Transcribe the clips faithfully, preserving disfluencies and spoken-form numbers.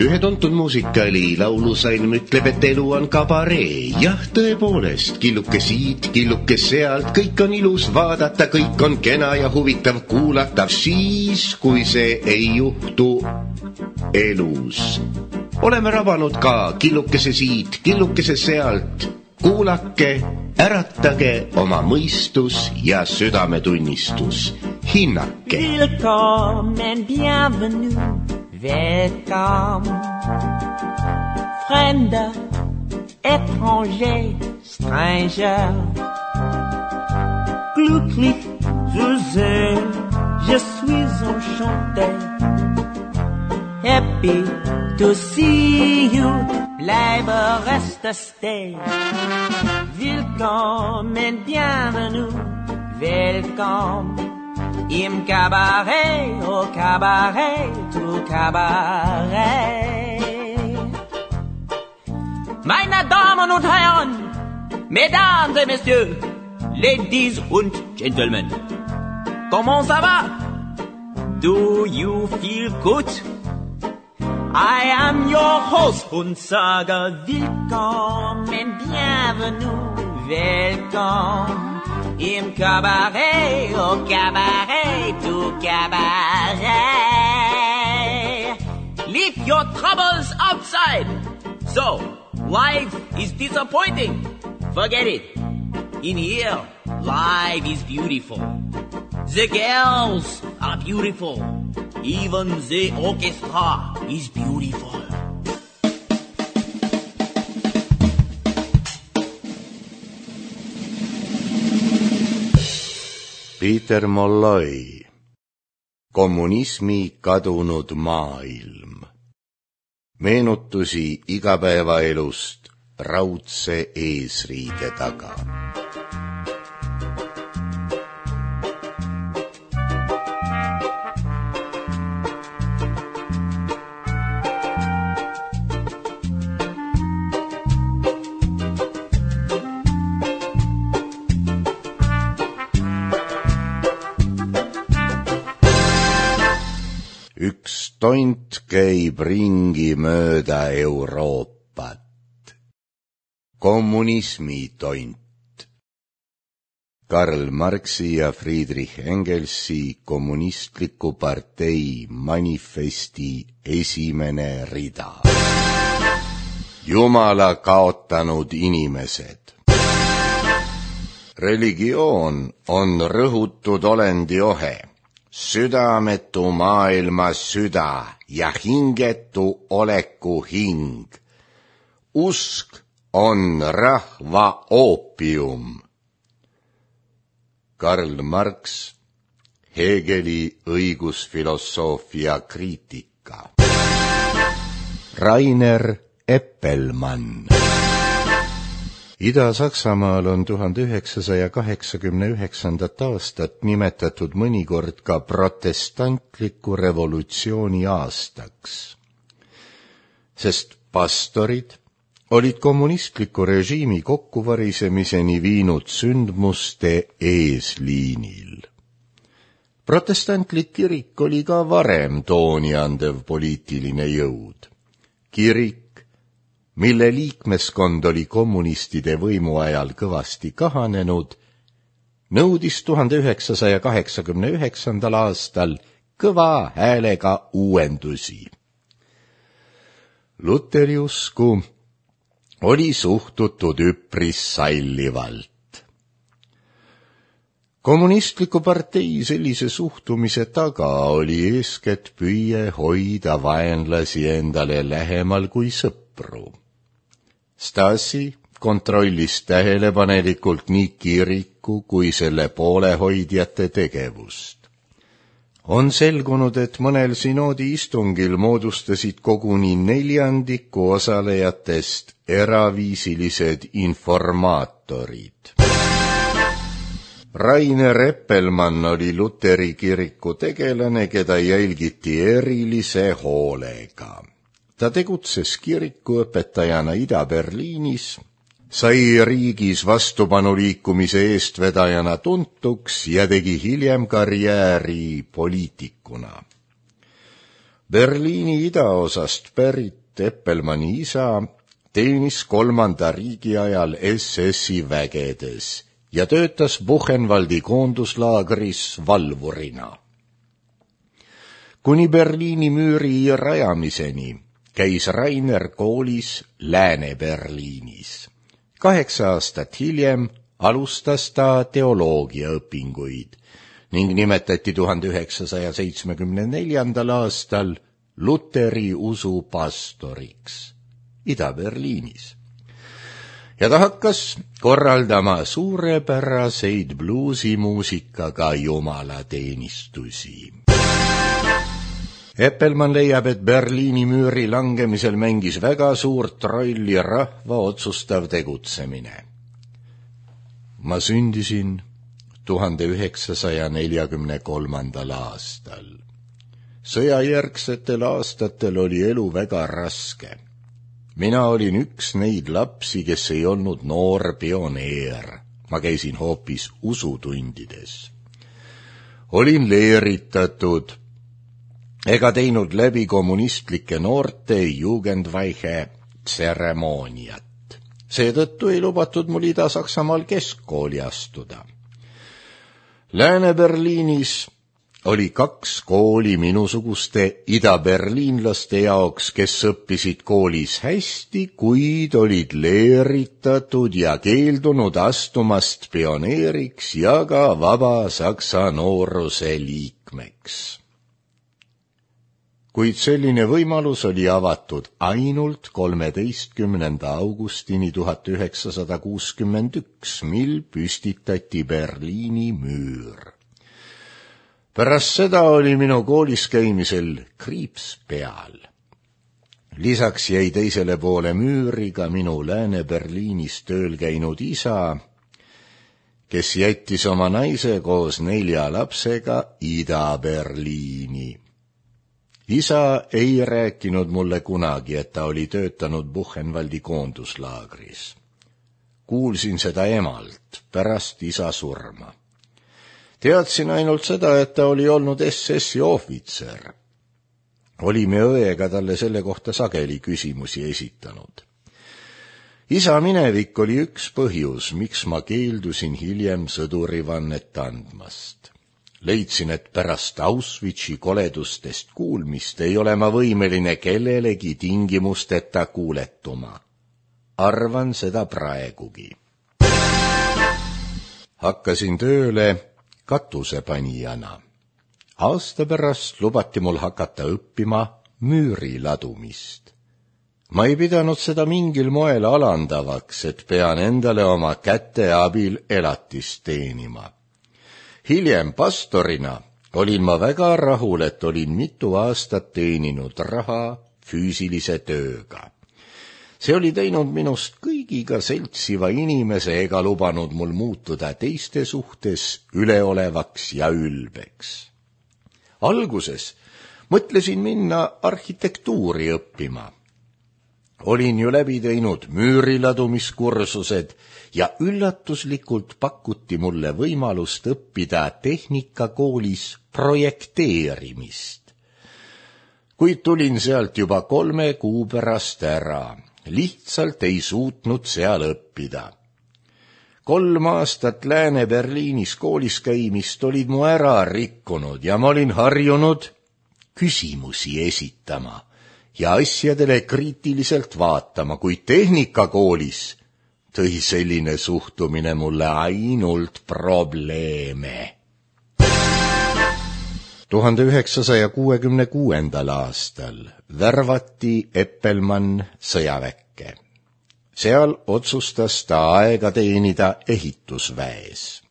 Ühe tuntud muusikali laulusalm ütleb, et elu on kabaree. Jah, tõepoolest, killuke siit, killuke sealt, kõik on ilus vaadata, kõik on kena ja huvitav kuulatav siis, kui see ei juhtu elus. Oleme rabanud ka killukese siit, killukese sealt. Kuulake, äratage oma mõistus ja südametunnistus. Hinnake. Willkommen, bienvenue. Welcome, fremder, étranger, stranger. Glücklich zu sehen, je suis enchanté. Happy to see you, bleibe, reste, stay. Willkommen, bienvenue, welcome. Im Cabaret, au Cabaret, tout Cabaret. Meine Damen und Herren, Mesdames et Messieurs, Ladies und Gentlemen, comment ça va? Do you feel good? I am your host und sage willkommen, bienvenue, welcome. Im Cabaret, au Cabaret, tout Cabaret. Leave your troubles outside. So, life is disappointing. Forget it. In here, life is beautiful. The girls are beautiful. Even the orchestra is beautiful. Peter Molloy, Kommunismi kadunud maailm. Meenutusi igapäevaelust raudse eesriide taga. Üks tont käib ringi mööda Euroopat. Kommunismi tont. Karl Marxi ja Friedrich Engelsi kommunistliku partei manifesti esimene rida. Jumala kaotanud inimesed. Religioon on rõhutud olendi ohe. Südametu maailma süda ja hingetu oleku hing. Usk on rahva oopium. Karl Marx, Hegeli õigusfilosoofia kriitika. Rainer Eppelmann. Ida-Saksamaal on tuhande üheksasaja kaheksakümne üheksandat aastat nimetatud mõnikord ka protestantliku revolutsiooni aastaks, sest pastorid olid kommunistliku režiimi kokkuvarisemiseni viinud sündmuste eesliinil. Protestantlik kirik oli ka varem tooni andev poliitiline jõud. Kirik, mille liikmeskond oli kommunistide võimu ajal kõvasti kahanenud, nõudis tuhande üheksasaja kaheksakümne üheksandal aastal kõva häälega uuendusi. Luteri usku oli suhtutud üpris sallivalt. Kommunistliku partei sellise suhtumise taga oli eeskätt püüe hoida vaenlasi endale lähemal kui sõpru. Stasi kontrollis tähelepanelikult nii kiriku kui selle poolehoidjate tegevust. On selgunud, et mõnel sinoodi istungil moodustasid koguni neljandiku osalejatest eraviisilised informaatorid. Rainer Eppelmann oli Luteri kiriku tegelane, keda jälgiti erilise hoolega. Ta tegutses kirikuõpetajana Ida-Berliinis, sai riigis vastupanuliikumise eestvedajana tuntuks ja tegi hiljem karjääri poliitikuna. Berliini idaosast pärit Eppelmanni isa teenis kolmanda riigi ajal S S-i vägedes ja töötas Buchenwaldi koonduslaagris valvurina. Kuni Berliini müüri rajamiseni käis Rainer koolis Lääne-Berliinis. Kaheksa aastat hiljem alustas ta teoloogiaõpinguid ning nimetati tuhande üheksasaja seitsmekümne neljandal aastal Luteri usu pastoriks Ida-Berliinis. Ja ta hakkas korraldama suurepäraseid bluusimuusikaga jumalateenistusi. Eppelmann leiab, et Berliini müüri langemisel mängis väga suurt rolli rahva otsustav tegutsemine. Ma sündisin tuhande üheksasaja neljakümne kolmandal aastal. Sõjajärgsetel aastatel oli elu väga raske. Mina olin üks neid lapsi, kes ei olnud noor pioneer. Ma käisin hoopis usutundides. Olin leeritatud ega teinud läbi kommunistlike noorte Jugendweihe tseremooniat. Seetõttu ei lubatud mul Ida-Saksamaal keskkooli astuda. Lääne-Berliinis oli kaks kooli minusuguste ida-berliinlaste jaoks, kes õppisid koolis hästi, kuid olid leeritatud ja keeldunud astumast pioneeriks ja ka vaba Saksa nooruse liikmeks. Kuid selline võimalus oli avatud ainult kolmeteistkümnenda augustini tuhat üheksasada kuuskümmend üks, mil püstitati Berliini müür. Pärast seda oli minu koolis käimisel kriips peal. Lisaks jäi teisele poole müüri ka minu Lääne-Berliinis tööl käinud isa, kes jättis oma naise koos nelja lapsega Ida-Berliini. Isa ei rääkinud mulle kunagi, et ta oli töötanud Buchenwaldi koonduslaagris. Kuulsin seda emalt pärast isa surma. Teadsin ainult seda, et ta oli olnud S S-i ohvitser. Olime õega talle selle kohta sageli küsimusi esitanud. Isa minevik oli üks põhjus, miks ma keeldusin hiljem sõdurivannet andmast. Leidsin, et pärast Auschwitzi koledustest kuulmist ei ole ma võimeline kellelegi tingimusteta kuuletuma. Arvan seda praegugi. Hakkasin tööle katusepanijana. Aasta pärast lubati mul hakata õppima müüri ladumist. Ma ei pidanud seda mingil moel alandavaks, et pean endale oma käte abil elatist teenima. Hiljem pastorina olin ma väga rahul, et olin mitu aastat teeninud raha füüsilise tööga. See oli teinud minust kõigiga seltsiva inimese ega lubanud mul muutuda teiste suhtes üleolevaks ja ülbeks. Alguses mõtlesin minna arhitektuuri õppima. Olin ju läbi teinud müüriladumiskursused ja üllatuslikult pakuti mulle võimalust õppida tehnikakoolis projekteerimist. Kuid tulin sealt juba kolme kuu pärast ära. Lihtsalt ei suutnud seal õppida. Kolm aastat Lääne-Berliinis koolis käimist olid mu ära rikkunud ja ma olin harjunud küsimusi esitama ja asjadele kriitiliselt vaatama, kuid tehnikakoolis tõi selline suhtumine mulle ainult probleeme. tuhande üheksasaja kuuekümne kuuendal aastal värvati Eppelmann sõjaväkke. Seal otsustas ta aega teenida ehitusväes.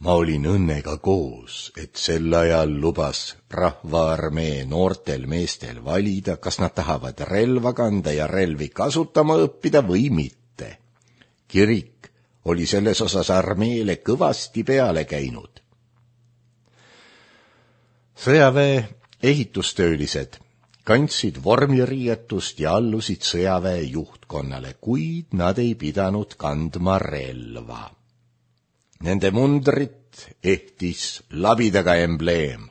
Ma olin õnnega koos, et sel ajal lubas rahvaarmee noortel meestel valida, kas nad tahavad relva kanda ja relvi kasutama õppida või mitte. Kirik oli selles osas armeele kõvasti peale käinud. Sõjaväe ehitustöölised kandsid vormiriietust ja allusid sõjaväe juhtkonnale, kuid nad ei pidanud kandma relva. Nende mundrit ehtis labidaga embleem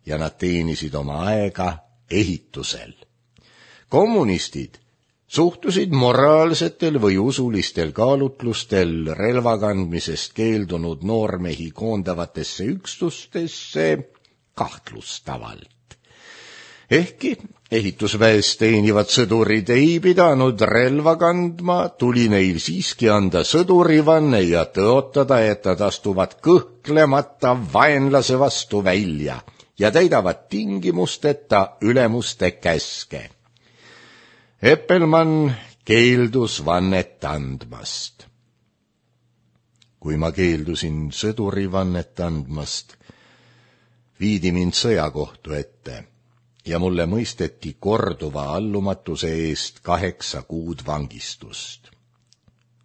ja nad teenisid oma aega ehitusel. Kommunistid suhtusid moraalsetel või usulistel kaalutlustel relvakandmisest keeldunud noormehi koondavatesse üksustesse kahtlustavalt. Ehkki ehitusväes teenivad sõdurid ei pidanud relva kandma, tuli neil siiski anda sõdurivanne ja tõotada, et nad astuvad kõhklemata vaenlase vastu välja ja täidavad tingimusteta ülemuste käske. Eppelmann keeldus vannet andmast. Kui ma keeldusin sõdurivannet andmast, viidi mind sõjakohtu ette ja mulle mõisteti korduva allumatuse eest kaheksa kuud vangistust.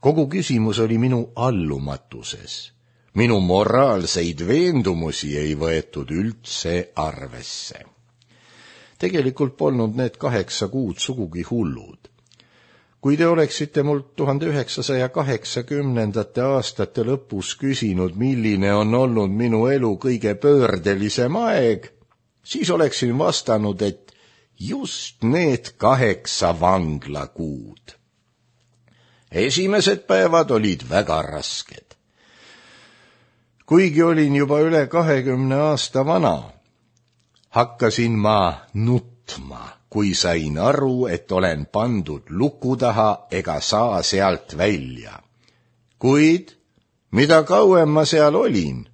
Kogu küsimus oli minu allumatuses. Minu moraalseid veendumusi ei võetud üldse arvesse. Tegelikult polnud need kaheksa kuud sugugi hullud. Kui te oleksite mult tuhande üheksasaja kaheksakümnendate aastate lõpus küsinud, milline on olnud minu elu kõige pöördelisem aeg, siis oleksin vastanud, et just need kaheksa vanglakuud. Esimesed päevad olid väga rasked. Kuigi olin juba üle kahekümne aasta vana, hakkasin ma nutma, kui sain aru, et olen pandud luku taha ega saa sealt välja. Kuid mida kauem ma seal olin,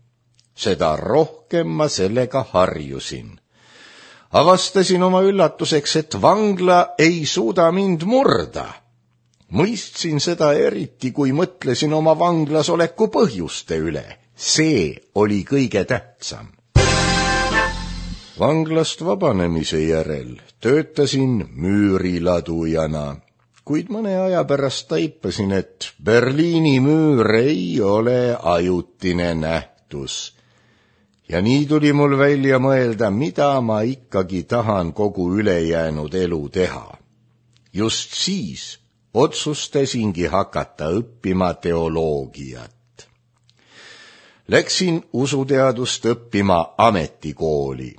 seda rohkem ma sellega harjusin. Avastasin oma üllatuseks, et vangla ei suuda mind murda. Mõistsin seda eriti, kui mõtlesin oma vanglas oleku põhjuste üle. See oli kõige tähtsam. Vanglast vabanemise järel töötasin müüriladujana, kuid mõne aja pärast taipasin, et Berliini müür ei ole ajutine nähtus. Ja nii tuli mul välja mõelda, mida ma ikkagi tahan kogu ülejäänud elu teha. Just siis otsustasingi hakata õppima teoloogiat. Läksin usuteadust õppima ametikooli,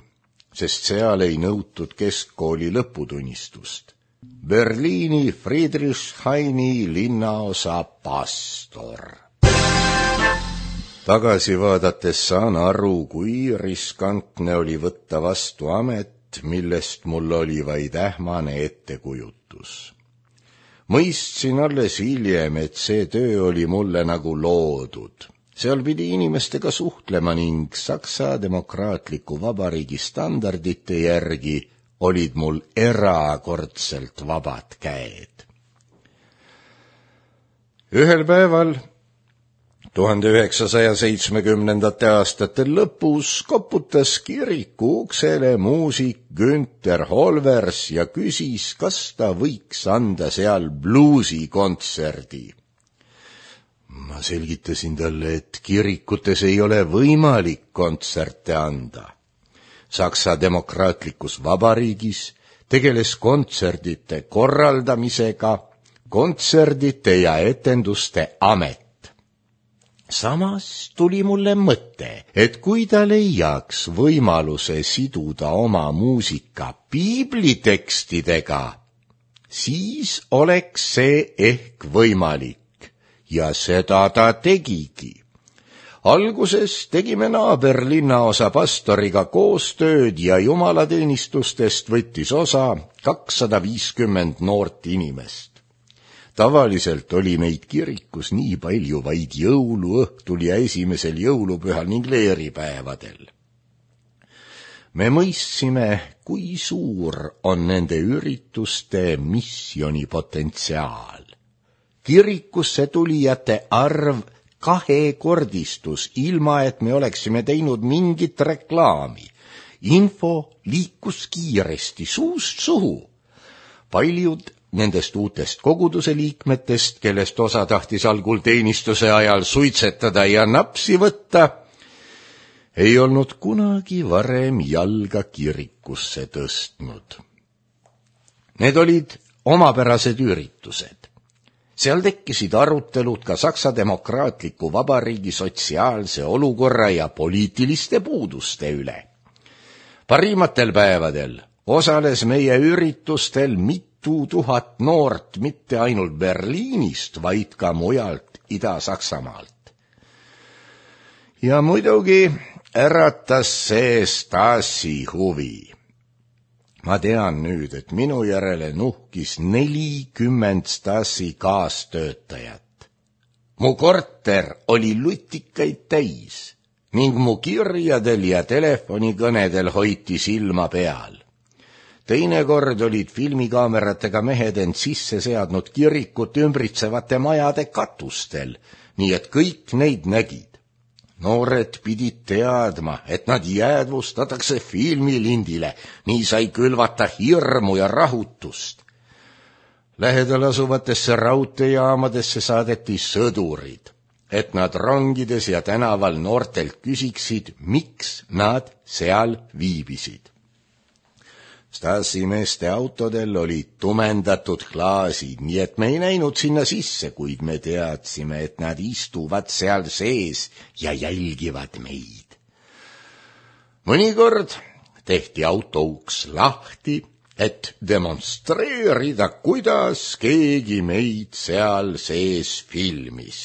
sest seal ei nõutud keskkooli lõputunnistust. Berliini Friedrichshaini linnaosa pastor. Tagasi vaadates saan aru, kui riskantne oli võtta vastu amet, millest mul oli vaid ähmane ettekujutus. Mõistsin alles hiljem, et see töö oli mulle nagu loodud. Seal pidi inimestega suhtlema ning Saksa Demokraatliku Vabariigi standardite järgi olid mul erakordselt vabad käed. Ühel päeval, tuhande üheksasaja seitsmekümnendate aastate lõpus, koputas kiriku uksele muusik Günther Holvers ja küsis, kas ta võiks anda seal bluusikontserdi. Ma selgitasin talle, et kirikutes ei ole võimalik kontserte anda. Saksa Demokraatlikus Vabariigis tegeles kontserdite korraldamisega kontserdite ja etenduste amet. Samas tuli mulle mõte, et kui ta leiaks võimaluse siduda oma muusika piiblitekstidega, siis oleks see ehk võimalik. Ja seda ta tegigi. Alguses tegime naaberlinnaosa pastoriga koostööd ja jumalateenistustest võttis osa kakssada viiskümmend noort inimest. Tavaliselt oli meid kirikus nii palju vaid jõuluõhtul ja esimesel jõulupühal ning leeripäevadel. Me mõistsime, kui suur on nende ürituste missionipotentsiaal. Kirikusse tulijate arv kahekordistus, ilma et me oleksime teinud mingit reklaami. Info liikus kiiresti suust suhu. Paljud nendest uutest koguduse liikmetest, kellest osa tahtis algul teenistuse ajal suitsetada ja napsi võtta, ei olnud kunagi varem jalga kirikusse tõstnud. Need olid omapärased üritused. Seal tekkisid arutelud ka Saksa Demokraatliku Vabariigi sotsiaalse olukorra ja poliitiliste puuduste üle. Parimatel päevadel osales meie üritustel mitu tuhat noort mitte ainult Berliinist, vaid ka mujalt Ida-Saksamaalt. Ja muidugi äratas see Stasi huvi. Ma tean nüüd, et minu järele nuhkis nelikümmend Stasi kaastöötajat. Mu korter oli lutikaid täis ning mu kirjadel ja telefonikõnedel hoiti silma peal. Teinekord olid filmikaameratega mehed end sisse seadnud kirikut ümbritsevate majade katustel, nii et kõik neid nägid. Noored pidid teadma, et nad jäädvustatakse filmilindile, nii sai külvata hirmu ja rahutust. Lähedal asuvatesse raudteejaamadesse saadeti sõdurid, et nad rongides ja tänaval noortelt küsiksid, miks nad seal viibisid. Stasi meeste autodel olid tumendatud klaasid, nii et me ei näinud sinna sisse, kuid me teadsime, et nad istuvad seal sees ja jälgivad meid. Mõnikord tehti autouks lahti, et demonstreerida, kuidas keegi meid seal sees filmis.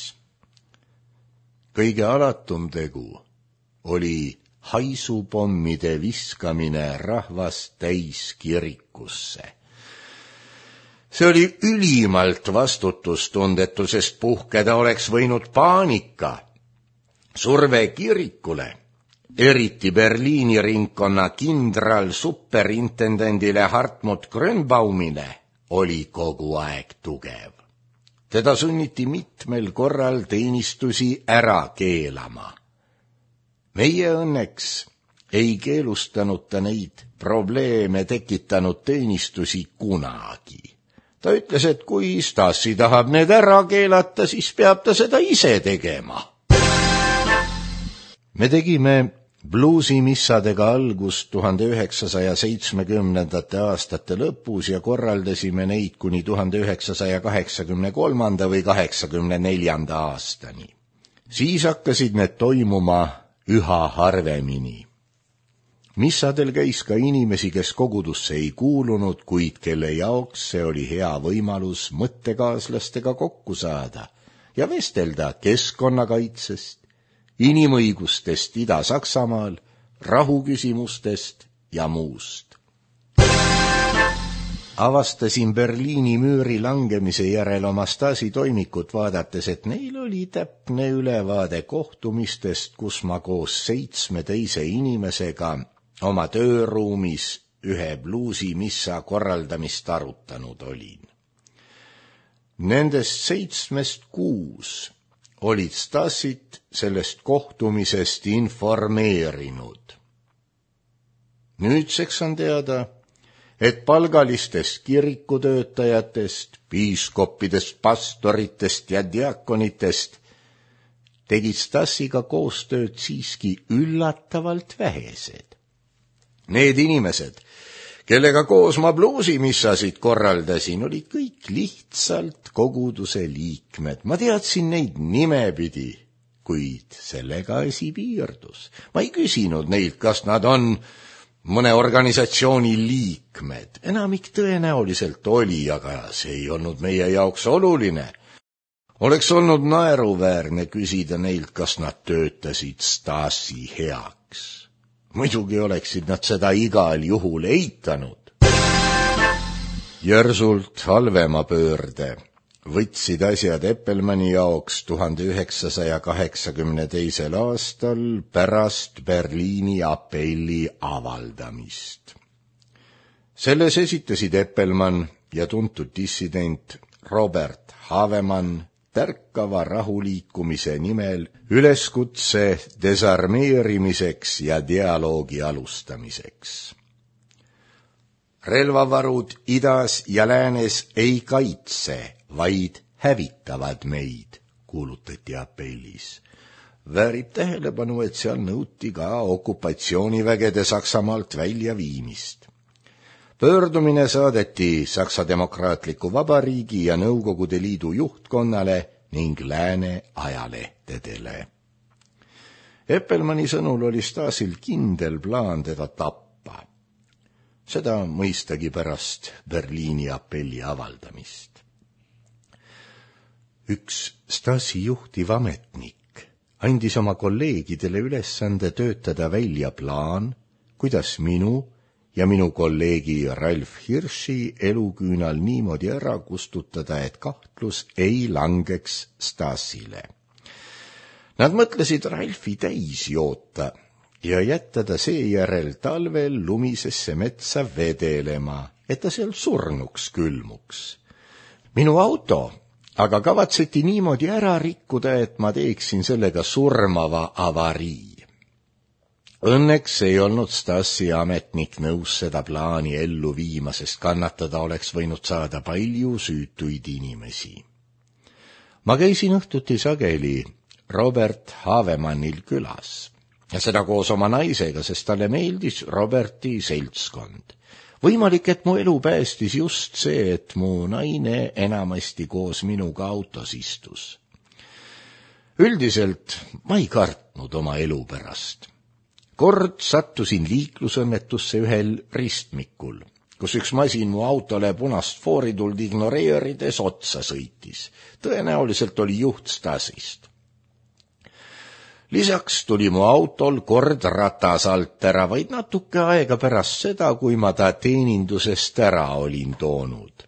Kõige alatum tegu oli haisupommide viskamine rahvast täis kirikusse. See oli ülimalt vastutustundetu, sest puhkeda oleks võinud paanika. Surve kirikule, eriti Berliini ringkonna kindral superintendendile Hartmut Grönbaumile, oli kogu aeg tugev. Teda sunniti mitmel korral teenistusi ära keelama. Meie õnneks ei keelustanud ta neid probleeme tekitanud teenistusi kunagi. Ta ütles, et kui Stasi tahab need ära keelata, siis peab ta seda ise tegema. Me tegime bluusimissadega algust tuhande üheksasaja seitsmekümnendate aastate lõpus ja korraldasime neid kuni tuhande üheksasaja kaheksakümne kolmanda või kaheksakümne neljanda aastani. Siis hakkasid need toimuma üha harvemini. Missadel käis ka inimesi, kes kogudusse ei kuulunud, kuid kelle jaoks see oli hea võimalus mõttekaaslastega kokku saada ja vestelda keskkonnakaitsest, inimõigustest Ida-Saksamaal, rahuküsimustest ja muust. Avastasin Berliini müüri langemise järel oma Stasi toimikut vaadates, et neil oli täpne ülevaade kohtumistest, kus ma koos seitsme teise inimesega oma tööruumis ühe bluusimissa korraldamist arutanud olin. Nendest seitsmest kuus olid Stasit sellest kohtumisest informeerinud. Nüüdseks on teada, et palgalistest kirikutöötajatest, piiskoppidest, pastoritest ja diakonitest tegid Stasiga koostööd siiski üllatavalt vähesed. Need inimesed, kellega koos ma bluusimissasid korraldasin, olid kõik lihtsalt koguduse liikmed. Ma teadsin neid nimepidi, kuid sellega asi piirdus. Ma ei küsinud neilt, kas nad on mõne organisatsiooni liikmed. Enamik tõenäoliselt oli, aga see ei olnud meie jaoks oluline. Oleks olnud naeruväärne küsida neilt, kas nad töötasid Stasi heaks. Muidugi oleksid nad seda igal juhul eitanud. Järsult halvema pöörde võtsid asjad Eppelmanni jaoks tuhande üheksasaja kaheksakümne teisel aastal pärast Berliini apelli avaldamist. Selles esitasid Eppelmann ja tuntud dissident Robert Havemann tärkava rahuliikumise nimel üleskutse desarmeerimiseks ja dialoogi alustamiseks. Relvavarud idas ja läänes ei kaitse, vaid hävitavad meid, kuulutati apellis. Väärib tähelepanu, et seal nõuti ka okupatsioonivägede Saksamaalt väljaviimist. Pöördumine saadeti Saksa Demokraatliku Vabariigi ja Nõukogude Liidu juhtkonnale ning lääne ajalehtedele. Eppelmanni sõnul oli Stasil kindel plaan teda tappa. seda mõistagi pärast Berliini apelli avaldamist. Üks Stasi juhtiv ametnik andis oma kolleegidele ülesande töötada välja plaan, kuidas minu ja minu kolleegi Ralf Hirši eluküünal niimoodi ära kustutada, et kahtlus ei langeks Stasile. Nad mõtlesid Ralfi täis joota ja jätta ta seejärel talvel lumisesse metsa vedelema, et ta seal surnuks külmuks. Minu auto aga kavatseti niimoodi ära rikkuda, et ma teeksin sellega surmava avarii. Õnneks ei olnud Stasi ametnik nõus seda plaani ellu viima, sest kannatada oleks võinud saada palju süütuid inimesi. Ma käisin õhtuti sageli Robert Havemannil külas ja seda koos oma naisega, sest talle meeldis Roberti seltskond. Võimalik, et mu elu päästis just see, et mu naine enamasti koos minuga autos istus. Üldiselt ma ei kartnud oma elu pärast. Kord sattusin liiklusõnnetusse ühel ristmikul, kus üks masin mu autole punast foorituld ignoreerides otsa sõitis. Tõenäoliselt oli juht Stasist. Lisaks tuli mu autol kord ratas alt ära vaid natuke aega pärast seda, kui ma ta teenindusest ära olin toonud.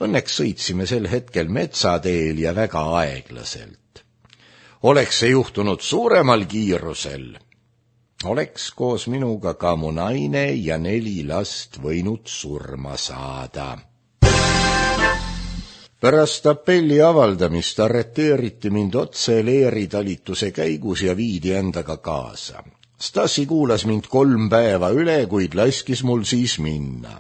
Õnneks sõitsime sel hetkel metsateel ja väga aeglaselt. Oleks see juhtunud suuremal kiirusel, oleks koos minuga ka mu naine ja neli last võinud surma saada. Pärast apelli avaldamist arreteeriti mind otse leeritalituse käigus ja viidi endaga kaasa. Stasi kuulas mind kolm päeva üle, kuid laskis mul siis minna.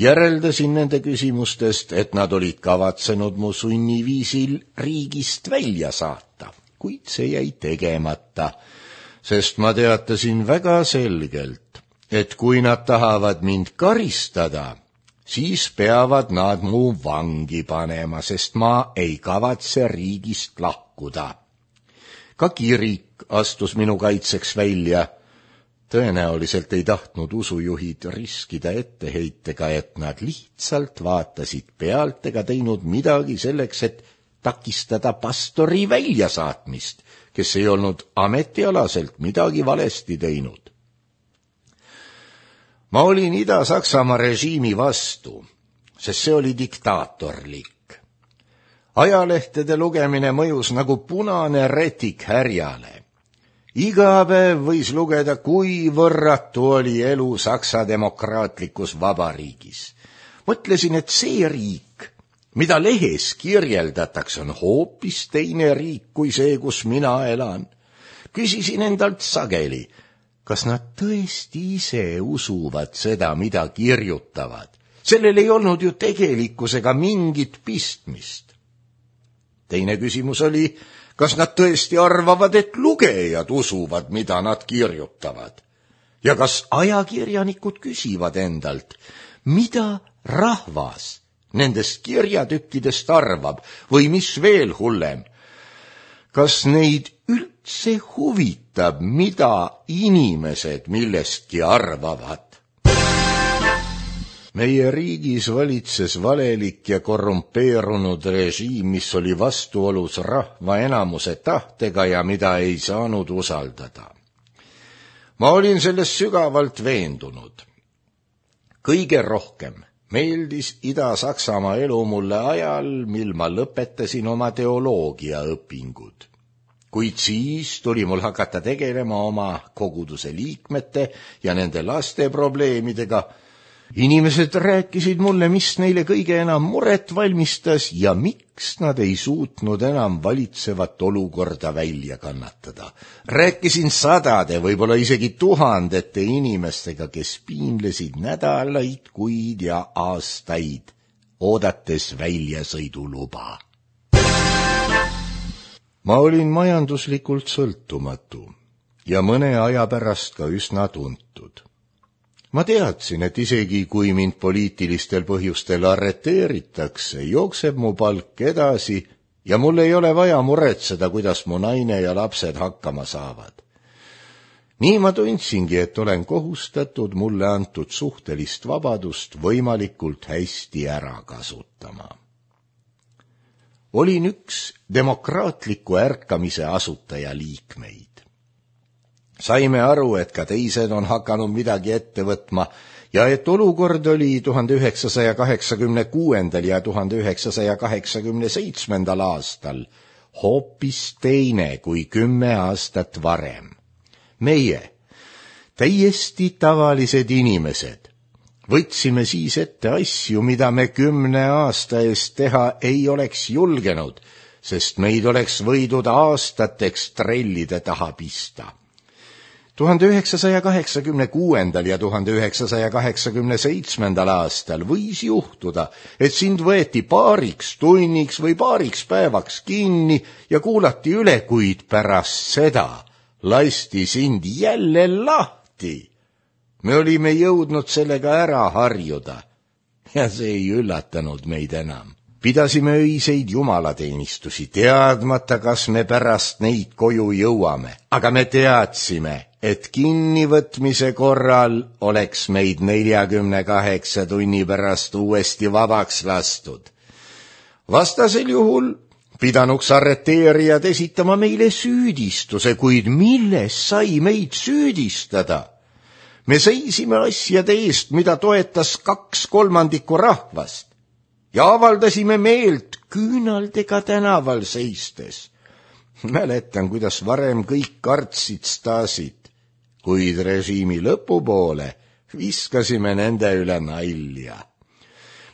Järeldasin nende küsimustest, et nad olid kavatsenud mu sunniviisil riigist välja saata, kuid see jäi tegemata, sest ma teatasin väga selgelt, et kui nad tahavad mind karistada, siis peavad nad mu vangi panema, sest ma ei kavatse riigist lahkuda. Ka kirik astus minu kaitseks välja. Tõenäoliselt ei tahtnud usujuhid riskida etteheitega, et nad lihtsalt vaatasid pealt ega teinud midagi selleks, et takistada pastori väljasaatmist, kes ei olnud ametialaselt midagi valesti teinud. Ma olin Ida-Saksamaa režiimi vastu, sest see oli diktaatorlik. Ajalehtede lugemine mõjus nagu punane retik härjale. Iga päev võis lugeda, kui võrratu oli elu Saksa demokraatlikus vabariigis. Mõtlesin, et see riik, mida lehes kirjeldatakse, on hoopis teine riik kui see, kus mina elan. Küsisin endalt sageli, kas nad tõesti ise usuvad seda, mida kirjutavad? Sellel ei olnud ju tegelikkusega mingit pistmist. Teine küsimus oli, kas nad tõesti arvavad, et lugejad usuvad, mida nad kirjutavad? Ja kas ajakirjanikud küsivad endalt, mida rahvas nendest kirjatükkidest arvab või mis veel hullem? Kas neid üldse huvitab, mida inimesed millestki arvavad? Meie riigis valitses valelik ja korrumpeerunud režiim, mis oli vastuolus rahva enamuse tahtega ja mida ei saanud usaldada. Ma olin selles sügavalt veendunud. Kõige rohkem meeldis Ida-Saksamaa elu mulle ajal, mil ma lõpetasin oma teoloogiaõpingud. Kuid siis tuli mul hakata tegelema oma koguduse liikmete ja nende laste probleemidega. Inimesed rääkisid mulle, mis neile kõige enam muret valmistas ja miks nad ei suutnud enam valitsevat olukorda välja kannatada. Rääkisin sadade, võib-olla isegi tuhandete inimestega, kes piinlesid nädalaid, kuid ja aastaid, oodates väljasõiduluba. Ma olin majanduslikult sõltumatu ja mõne aja pärast ka üsna tuntud. Ma teadsin, et isegi kui mind poliitilistel põhjustel arreteeritakse, jookseb mu palk edasi ja mul ei ole vaja muretseda, kuidas mu naine ja lapsed hakkama saavad. nii ma tundsingi, et olen kohustatud mulle antud suhtelist vabadust võimalikult hästi ära kasutama. Olin üks demokraatliku ärkamise asutaja liikmeid. Saime aru, et ka teised on hakanud midagi ette võtma ja et olukord oli tuhande üheksasaja kaheksakümne kuuendal ja tuhande üheksasaja kaheksakümne seitsmendal aastal hoopis teine kui kümme aastat varem. Meie, täiesti tavalised inimesed, võtsime siis ette asju, mida me kümne aasta eest teha ei oleks julgenud, sest meid oleks võidud aastateks trellide taha pista. tuhande üheksasaja kaheksakümne kuuendal ja tuhande üheksasaja kaheksakümne seitsmendal aastal võis juhtuda, et sind võeti paariks tunniks või paariks päevaks kinni ja kuulati üle, kuid pärast seda lasti sind jälle lahti. Me olime jõudnud sellega ära harjuda ja see ei üllatanud meid enam. Pidasime öiseid jumalateenistusi, teadmata, kas me pärast neid koju jõuame, aga me teadsime, et kinnivõtmise korral oleks meid neljakümne kaheksa tunni pärast uuesti vabaks lastud. Vastasel juhul pidanuks arreteerijad esitama meile süüdistuse, kuid milles sai meid süüdistada? Me seisime asjade eest, mida toetas kaks kolmandikku rahvast ja avaldasime meelt küünaldega tänaval seistes. Mäletan, kuidas varem kõik kartsid Stasit, kuid režiimi lõpupoole viskasime nende üle nalja.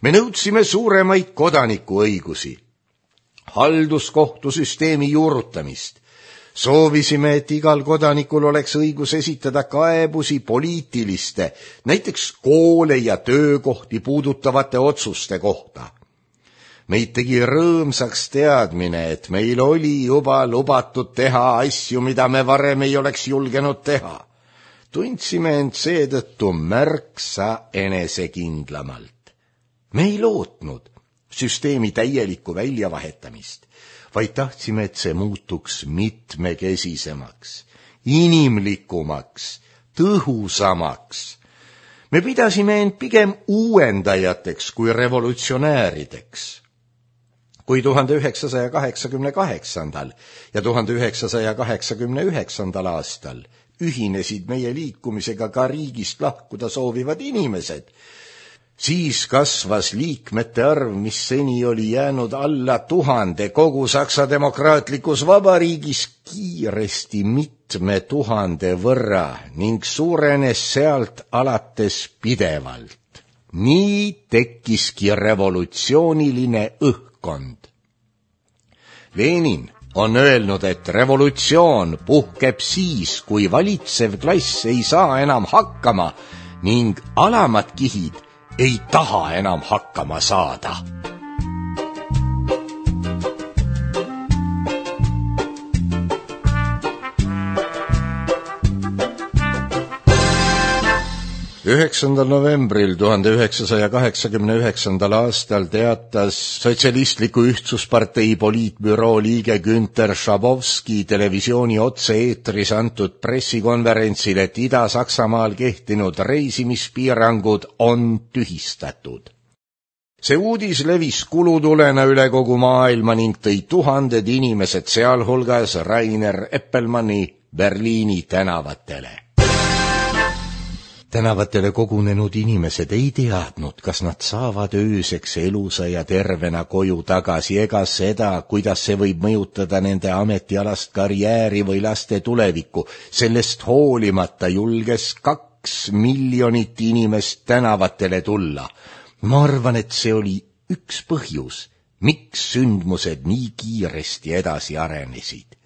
Me nõudsime suuremaid kodanikuõigusi, halduskohtusüsteemi juurutamist. Soovisime, et igal kodanikul oleks õigus esitada kaebusi poliitiliste, näiteks koole ja töökohti puudutavate otsuste kohta. Meid tegi rõõmsaks teadmine, et meil oli juba lubatud teha asju, mida me varem ei oleks julgenud teha. Tundsime end seetõttu märksa enesekindlamalt. Me ei lootnud süsteemi täielikku väljavahetamist, vaid tahtsime, et see muutuks mitmekesisemaks, inimlikumaks, tõhusamaks. Me pidasime end pigem uuendajateks kui revolutsionäärideks. Kui tuhande üheksasaja kaheksakümne kaheksandal ja tuhande üheksasaja kaheksakümne üheksandal aastal ühinesid meie liikumisega ka riigist lahkuda soovivad inimesed, siis kasvas liikmete arv, mis seni oli jäänud alla tuhande kogu Saksa demokraatlikus vabariigis kiiresti mitme tuhande võrra ning suurenes sealt alates pidevalt. Nii tekkiski revolutsiooniline õhkkond. Lenin on öelnud, et revolutsioon puhkeb siis, kui valitsev klass ei saa enam hakkama ning alamad kihid ei taha enam hakkama saada. üheksandal novembril tuhande üheksasaja kaheksakümne üheksandal aastal teatas Sotsialistliku Ühtsuspartei poliitbüroo liige Günter Schabowski televisiooni otse-eetris antud pressikonverentsil, et Ida-Saksamaal kehtinud reisimispiirangud on tühistatud. See uudis levis kulutulena üle kogu maailma ning tõi tuhanded inimesed, sealhulgas Rainer Eppelmanni, Berliini tänavatele. Tänavatele kogunenud inimesed ei teadnud, kas nad saavad ööseks elusa ja tervena koju tagasi ega seda, kuidas see võib mõjutada nende ametialast karjääri või laste tulevikku. Sellest hoolimata julges kaks miljonit inimest tänavatele tulla. Ma arvan, et see oli üks põhjus, miks sündmused nii kiiresti edasi arenesid.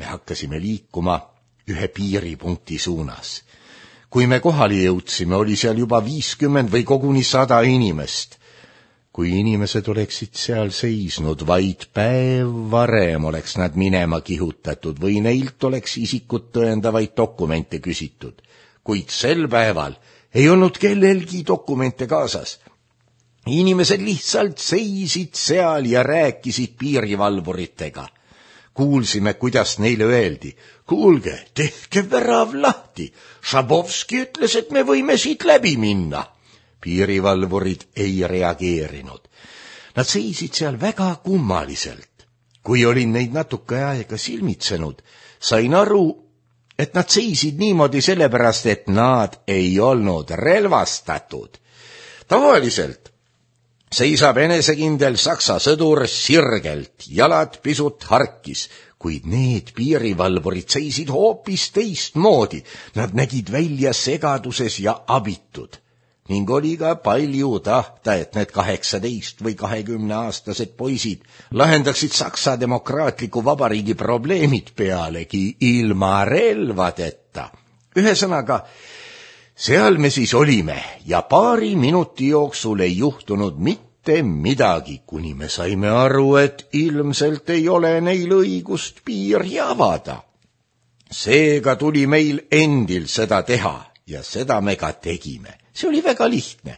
Me hakkasime liikuma ühe piiripunkti suunas. Kui me kohali jõudsime, oli seal juba viiskümmend või koguni sada inimest. Kui inimesed oleksid seal seisnud, vaid päev varem oleks nad minema kihutatud või neilt oleks isikut tõendavaid dokumente küsitud. Kuid sel päeval ei olnud kellelgi dokumente kaasas. Inimesed lihtsalt seisid seal ja rääkisid piirivalvuritega. Kuulsime, kuidas neile öeldi: kuulge, tehke värav lahti. Šabovski ütles, et me võime siit läbi minna. Piirivalvurid ei reageerinud. Nad seisid seal väga kummaliselt. Kui olin neid natuke aega silmitsenud, sain aru, et nad seisid niimoodi sellepärast, et nad ei olnud relvastatud. Tavaliselt seisab enesekindel saksa sõdur sirgelt, jalad pisut harkis, kuid need piirivalvurid seisid hoopis teistmoodi. Nad nägid välja segaduses ja abitud. Ning oli ka palju tahta, et need kaheksateist või kahekümne aastased poisid lahendaksid Saksa demokraatliku vabariigi probleemid pealegi ilma relvadeta. Ühesõnaga, seal me siis olime ja paari minuti jooksul ei juhtunud mitte midagi, kuni me saime aru, et ilmselt ei ole neil õigust piiri avada. Seega tuli meil endil seda teha ja seda me ka tegime. See oli väga lihtne.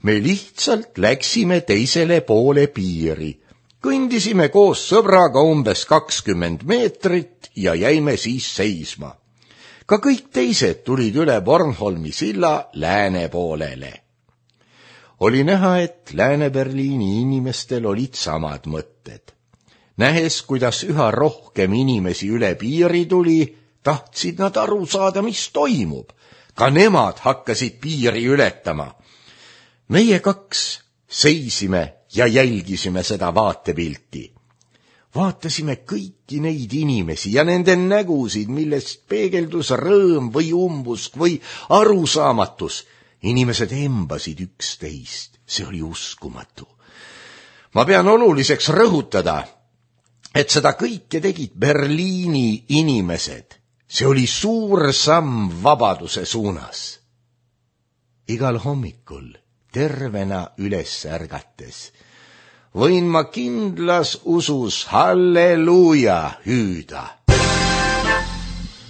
Me lihtsalt läksime teisele poole piiri. Kõndisime koos sõbraga umbes kakskümmend meetrit ja jäime siis seisma. Ka kõik teised tulid üle Bornholmi silla lääne poolele. Oli näha, et Lääne-Berliini inimestel olid samad mõtted. Nähes, kuidas üha rohkem inimesi üle piiri tuli, tahtsid nad aru saada, mis toimub. Ka nemad hakkasid piiri ületama. Meie kaks seisime ja jälgisime seda vaatepilti. Vaatasime kõiki neid inimesi ja nende nägusid, millest peegeldus rõõm või umbusk või arusaamatus. Inimesed embasid üksteist. See oli uskumatu. Ma pean oluliseks rõhutada, et seda kõike tegid Berliini inimesed. See oli suur samm vabaduse suunas. Igal hommikul tervena üles ärgates võin ma kindlas usus halleluuja hüüda.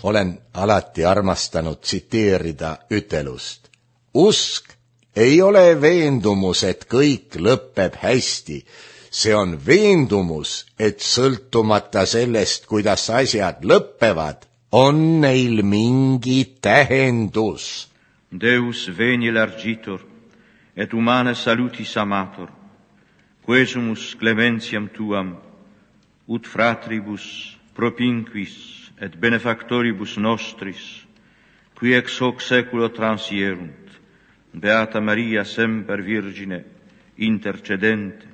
Olen alati armastanud tsiteerida ütelust. Usk ei ole veendumus, et kõik lõpeb hästi. See on veendumus, et sõltumata sellest, kuidas asjad lõppevad, on neil mingi tähendus. Deus veni largitor, et humane salutis amator, quesumus clementiam tuam, ut fratribus propinquis et benefactoribus nostris, qui ex hoc seculo transierunt, Beata Maria semper Virgine, intercedente,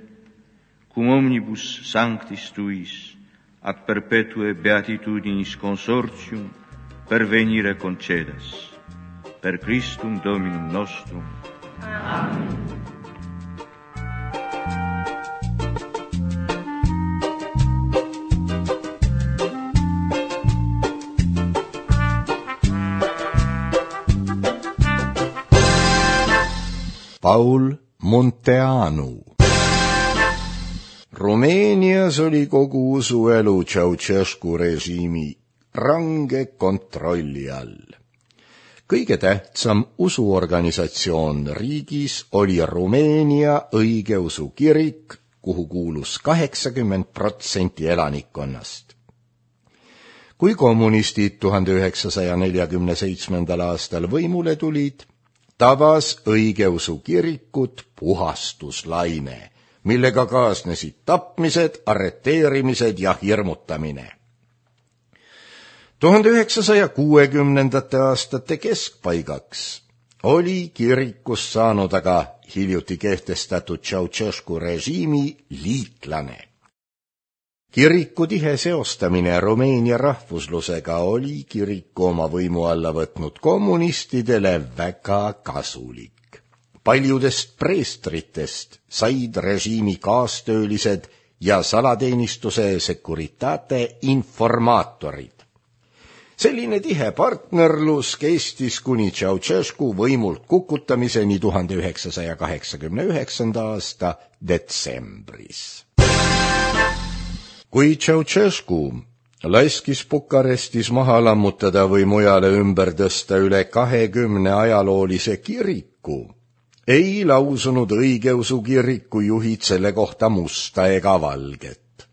cum omnibus sanctis tuis, ac perpetue beatitudinis consortium pervenire concedas. Per Christum Dominum nostrum. Amen. Paul Munteanu. Rumeenias oli kogu usuelu Ceausescu režiimi range kontrolli all. Kõige tähtsam usuorganisatsioon riigis oli Rumeenia õigeusu kirik, kuhu kuulus kaheksakümmend protsenti elanikkonnast. Kui kommunistid tuhande üheksasaja neljakümne seitsmendal aastal võimule tulid, tabas õigeusu kirikut puhastuslaine, millega kaasnesid tapmised, arreteerimised ja hirmutamine. tuhande üheksasaja kuuekümnendate aastate keskpaigaks oli kirikust saanud aga hiljuti kehtestatud Ceausescu režiimi liitlane. Kiriku tihe seostamine Rumeenia rahvuslusega oli kiriku oma võimu alla võtnud kommunistidele väga kasulik. Paljudest preestritest said režiimi kaastöölised ja salateenistuse Securitate informaatorid. Selline tihe partnerlus kestis kuni Ceausescu võimult kukutamiseni tuhande üheksasaja kaheksakümne üheksanda aasta detsembris. Kui Ceausescu laskis Bukarestis maha lammutada või mujale ümber tõsta üle kahekümne ajaloolise kiriku, ei lausunud õigeusu kiriku juhid selle kohta musta ega valget.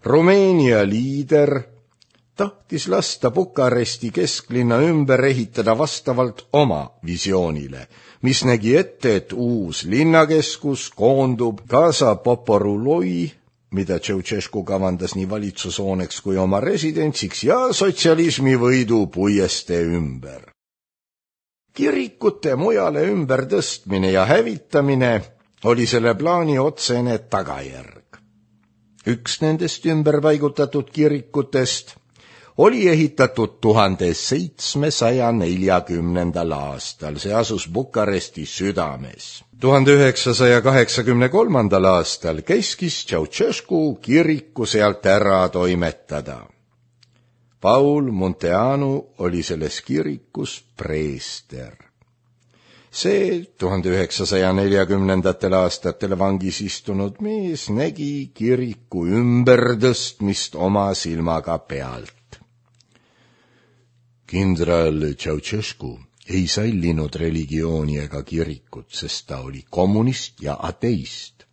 Rumeenia liider tahtis lasta Bukaresti kesklinna ümber ehitada vastavalt oma visioonile, mis nägi ette, et uus linnakeskus koondub Casa Poporuloi, mida Ceausescu kavandas nii valitsushooneks kui oma residentsiks, ja sotsialismi võidu puiestee ümber. Kirikute mujale ümber tõstmine ja hävitamine oli selle plaani otsene tagajärg. Üks nendest ümberpaigutatud kirikutest oli ehitatud tuhande seitsmesaja neljakümnendal aastal, see asus Bukaresti südames. tuhande üheksasaja kaheksakümne kolmandal aastal käskis Ceausescu kiriku sealt ära toimetada. Paul Munteanu oli selles kirikus preester. See tuhande üheksasaja neljakümnendatel aastatel vangis istunud mees nägi kiriku ümbertõstmist oma silmaga pealt. Kindral Ceausescu ei sallinud religiooni ega kirikut, sest ta oli kommunist ja ateist.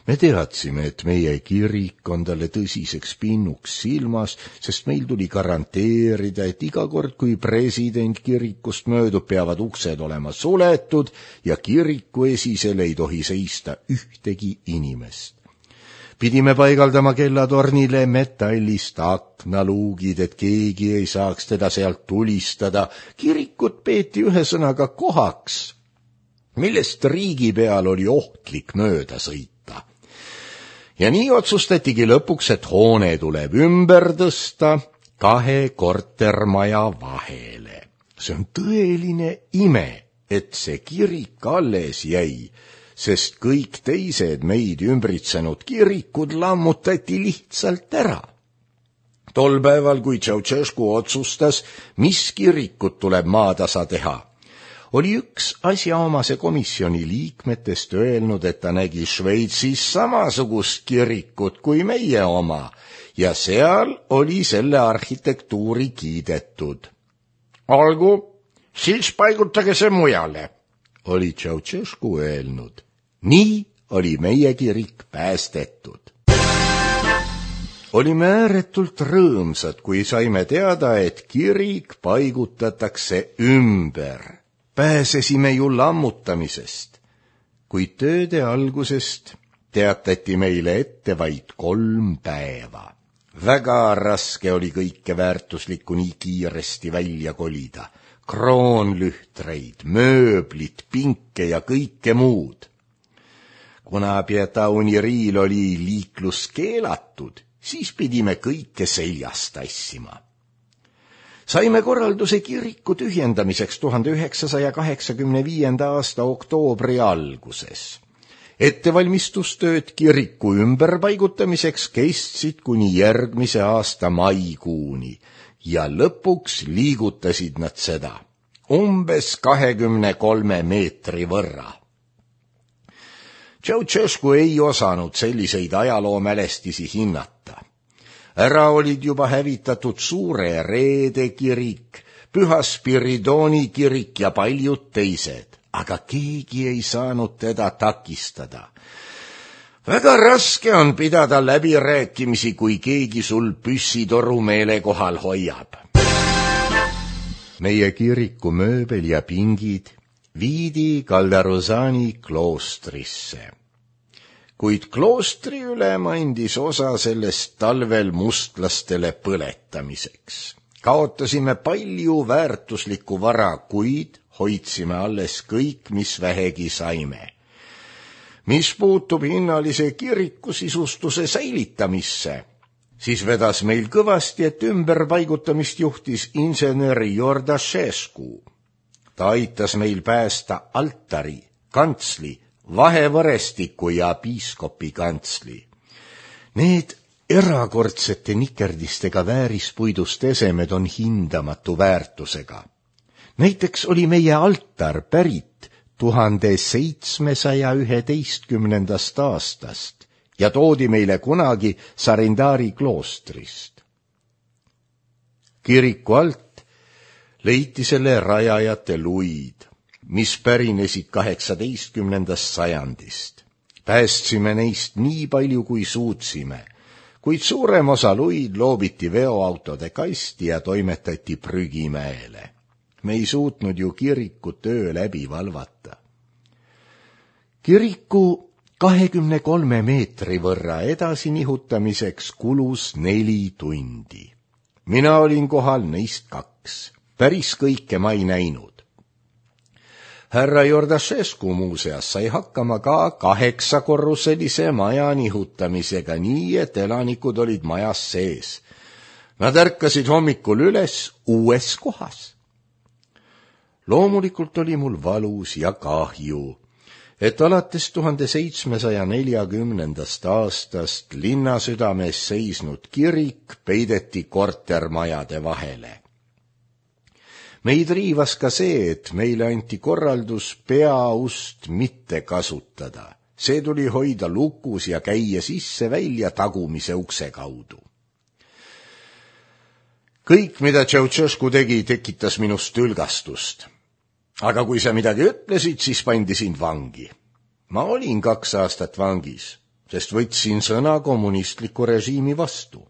Me teadsime, et meie kirik on talle tõsiseks pinnuks silmas, sest meil tuli garanteerida, et iga kord, kui president kirikust möödub, peavad uksed olema suletud ja kiriku esisel ei tohi seista ühtegi inimest. Pidime paigaldama kellatornile metallist aknaluugid, et keegi ei saaks teda sealt tulistada. Kirikut peeti ühesõnaga kohaks, millest riigi peal oli ohtlik mööda sõita. Ja nii otsustatigi lõpuks, et hoone tuleb ümber tõsta kahe kortermaja vahele. See on tõeline ime, et see kirik alles jäi, sest kõik teised meid ümbritsenud kirikud lammutati lihtsalt ära. Tol päeval, kui Ceausescu otsustas, mis kirikut tuleb maatasa teha, oli üks asjaomase komisjoni liikmetest öelnud, et ta nägi Šveitsis samasugust kirikut kui meie oma ja seal oli selle arhitektuuri kiidetud. Olgu, siis paigutage see mujale, oli Ceausescu öelnud. Nii oli meie kirik päästetud. Olime ääretult rõõmsad, kui saime teada, et kirik paigutatakse ümber. Pääsesime ju lammutamisest, kuid tööde algusest teatati meile ette vaid kolm päeva. Väga raske oli kõike väärtuslikku nii kiiresti välja kolida. Kroonlühtreid, mööblit, pinke ja kõike muud. Kuna Pietauni riil oli liiklus keelatud, siis pidime kõike seljast tassima. Saime korralduse kiriku tühjendamiseks tuhande üheksasaja kaheksakümne viienda aasta oktoobri alguses. Ettevalmistustööd kiriku ümberpaigutamiseks kestsid kuni järgmise aasta maikuuni ja lõpuks liigutasid nad seda umbes kahekümne kolme meetri võrra. Ceausescu ei osanud selliseid ajaloomälestisi hinnata. Ära olid juba hävitatud Suure Reede kirik, Püha Spiridoni kirik ja paljud teised, aga keegi ei saanud teda takistada. Väga raske on pidada läbirääkimisi, kui keegi sul püssitoru meele kohal hoiab. Meie kiriku mööbel ja pingid viidi Calderosani kloostrisse. Kuid kloostri ülem andis osa sellest talvel mustlastele põletamiseks. Kaotasime palju väärtuslikku vara, kuid hoidsime alles kõik, mis vähegi saime. Mis puutub hinnalise kiriku sisustuse säilitamisse, siis vedas meil kõvasti, et ümberpaigutamist juhtis insener Jordašescu. Ta aitas meil päästa altari, kantsli, vahevõrestiku ja piiskopi kantsli. Need erakordsete nikerdistega väärispuidust esemed on hindamatu väärtusega. Näiteks oli meie altar pärit tuhande seitsmesaja üheteistkümnendast aastast ja toodi meile kunagi Sarindari kloostrist. Kiriku alt leiti selle rajajate luid, mis pärinesid kaheksateistkümnendast sajandist. Päästsime neist nii palju, kui suutsime, kuid suurem osa luid loobiti veoautode kasti ja toimetati prügimäele. Me ei suutnud ju kirikut öö läbi valvata. Kiriku kahekümne kolme meetri võrra edasi nihutamiseks kulus neli tundi. Mina olin kohal neist kaks. Päris kõike ma ei näinud. Härra Jordašescu muuseas sai hakkama ka kaheksakorruselise maja nihutamisega nii, et elanikud olid majas sees. Nad ärkasid hommikul üles uues kohas. Loomulikult oli mul valus ja kahju, et alates tuhande seitsmesaja neljakümnendast aastast linnasüdames seisnud kirik peideti kortermajade vahele. Meid riivas ka see, et meile anti korraldus peaust mitte kasutada. See tuli hoida lukus ja käia sisse-välja tagumise ukse kaudu. Kõik, mida Ceausescu tegi, tekitas minust ülgastust. Aga kui sa midagi ütlesid, siis pandi sind vangi. Ma olin kaks aastat vangis, sest võtsin sõna kommunistliku režiimi vastu.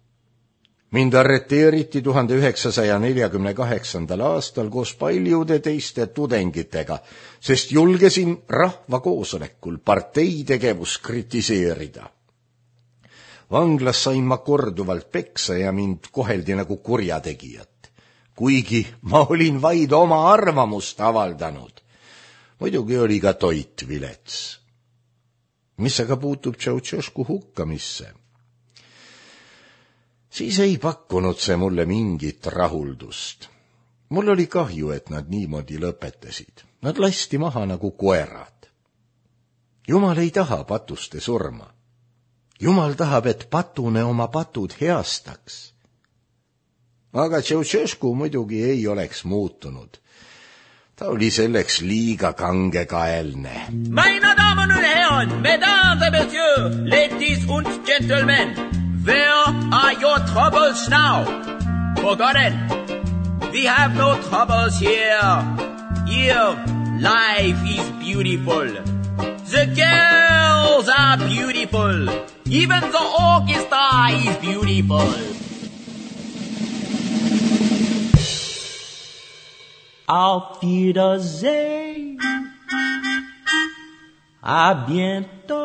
Mind arreteeriti tuhande üheksasaja neljakümne kaheksandal aastal koos paljude teiste tudengitega, sest julgesin rahvakoosolekul partei tegevust kritiseerida. Vanglas sain ma korduvalt peksa ja mind koheldi nagu kurjategijat, kuigi ma olin vaid oma arvamust avaldanud. Muidugi oli ka toit vilets. Mis aga puutub Ceausescu hukkamisse? Siis ei pakkunud see mulle mingit rahuldust. Mul oli kahju, et nad niimoodi lõpetasid. Nad lasti maha nagu koerad. Jumal ei taha patuste surma. Jumal tahab, et patune oma patud heastaks. Aga Ceausescu muidugi ei oleks muutunud. Ta oli selleks liiga kangekaelne. Meine Damen und Herren, mesdames et messieurs, ladies und gentlemen, where are your troubles now? Forgotten. We have no troubles here. Here, life is beautiful. The girls are beautiful. Even the orchestra is beautiful. Auf Wiedersehen. A bientôt.